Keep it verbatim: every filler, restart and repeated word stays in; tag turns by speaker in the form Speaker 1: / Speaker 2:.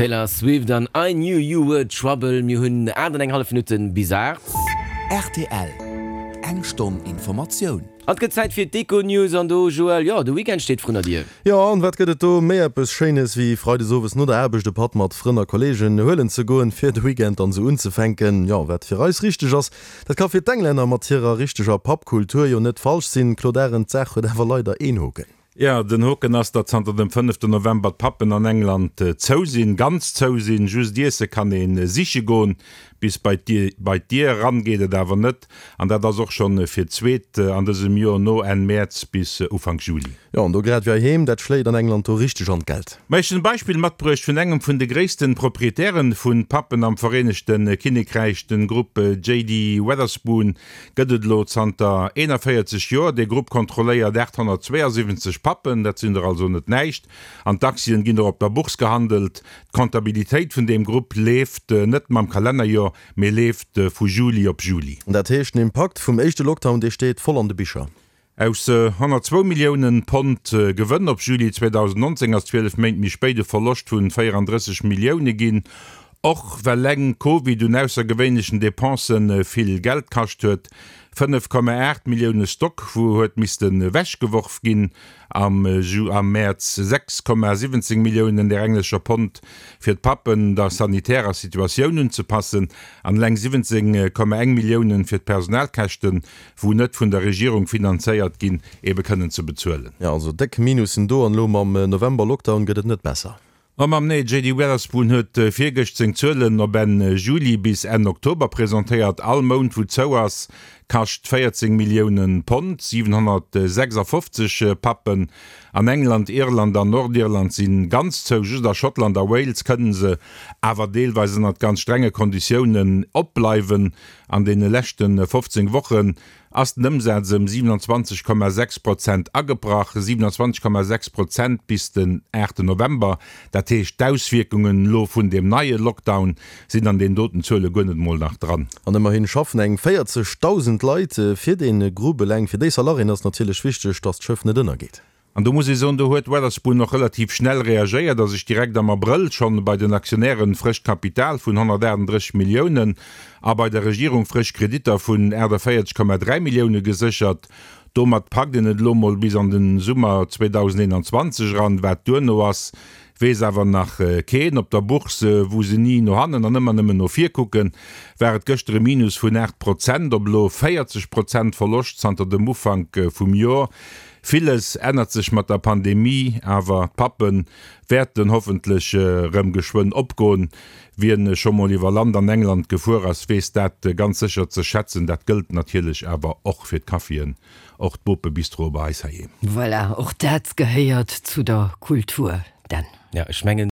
Speaker 1: Taylor Swift an I Knew You Were Trouble. Mir hunn aacht an eng hallef Minutten bis aacht.
Speaker 2: Rtl, Eng Stonn Informatioun.
Speaker 1: An et gëtt Zäit fir d'Econews an do, Joël, jo, de Weekend steet vrun der Dier.
Speaker 3: Jo, an wat gëtt et do méi eppes Schéines wéi freides owes no der Aarbecht e Patt mat Frënn a Kolleegen huelen ze goen, fir de Weekend dann esou unzefänken. Jo, wat fir eis richteg ass, dat ka fir d'Englänner mat hirer richteger Pub-Kultur jo net falsch sinn. Claude Arend, d'Saach huet awer leider een Hoken.
Speaker 4: Jo, den Hoken ass, datt zanter dem fënneften November d'Pubben an England zou sinn, ganz zou sinn. Just Iesse kann ee siche goen, bis bei d'Dier eran geet et awer net. An dat ass och schonn fir d'zweet an dësem Joer, no Enn Mäerz bis Ufank Juli.
Speaker 3: Jo, an do grad wéi heiheem, dat schléit an England do richteg an d'Geld.
Speaker 4: Ma ech hunn e Beispill matbruecht vun engem vun de gréissten Proprietären vun Pubben am Vereenegte Kinnekräich, den Grupp J D Wetherspoon gëtt et elo zanter eenanvéierzeg Joer. Dee Grupp kontrolléiert aathonnertzweeasiwwenzeg Pubben, dat sinn der also net näischt, an d'Aktien ginn och op der Bourse gehandelt. D'Comptabilitéit vun deem Grupp leeft net mam Kalennerjoer, mee leeft vu Juli op Juli.
Speaker 3: Dat heescht, den Impakt vum éischte Lockdown, dee steet voll an de Bicher.
Speaker 4: Aus honnertzwou Milliounen Pond Gewënn op Juli zweedausendnonzéng ass zwielef Méint méi spéit e Verloscht vun véierandrësseg Millioune ginn, och well eleng Covid un aussergewéinlechen Depensen vill Geld kascht huet. fënnef Komma aacht Millioune Stock wou huet missten ewechgeworf ginn am Mäerz, sechs Komma siwwenzéng Milliounen der englescher Pond fir d'Pubben der sanitärer Situatioun unzepassen an eleng siwwenzéng Komma eng Milliounen fir d'Personalkäschten, wou net vun der Regierung finanzéiert ginn, ebe kënnen ze bezuelen.
Speaker 3: Jo, also déck Minussen do an elo mam November-Lockdown gëtt et net besser.
Speaker 4: Oh mam nee, J D Wetherspoon huet virgëscht seng Zuelen op Enn Juli bis Enn Oktober presentéiert. All Mount wou zou ass, kascht véierzéng Millioune Pond. siwenhonnertsechsafofzeg Pubben an England, Irland an Nordirland si ganz zou. Just a Schottland a Wales kënne se awer deelweis ënnert ganz strenge Konditiounen opbleiwen. An deene leschte fofzéng Wochen ass den Ëmsaz ëm siewenundzwanzeg Komma sechs Prozent agebrach, siewenundzwanzeg Komma sechs Prozent bis den aachten November. Dat heescht, d'Auswierkungen elo vun deem neie Lockdown sinn an deenen doten Zuele guer net emol nach dran.
Speaker 3: An ëmmerhin schaffen eng véierzegdausend Leit fir dee Grupp. Eleng fir déi Salariéen ass natierlech wichteg, datt d'Schëff net ënnergeet.
Speaker 4: An do muss ee soen, do huet Wetherspoon och relativ schnell reagéiert a sech direkt am Abrëll schonn bei den Aktionären frëscht Kapital vun honnertaachtenddrësseg Milliounen a bei der Regierung frësch Kreditter vun aachtavéierzeg Komma dräi Millioune geséchert. Domat packt een et elo mol bis an de Summer zweedausendeenanzwanzeg eran. Wat duerno ass, weess awer nach keen. Op der Bourse, wou se ni no hannen an ëmmer nëmmen no vir kucken, war et gëschter e Minus vun aacht Prozent op elo véierzeg Prozent Verloscht zanter dem Ufank vum Joer. Villes ännert sech mat der Pandemie, awer d'Pubbe wäerten hoffentlech erëm geschwënn opgoen. Wien scho mol iwwer Land an England gefuer ass, weess dat ganz sécher ze schätzen. Dat gëllt natierlech awer och fir d'Caféen, och d'Bopebistroe bei eis heiheem.
Speaker 5: Voilà, och dat gehéiert zu der Kultur, Dan.
Speaker 1: Ja, ech mengen.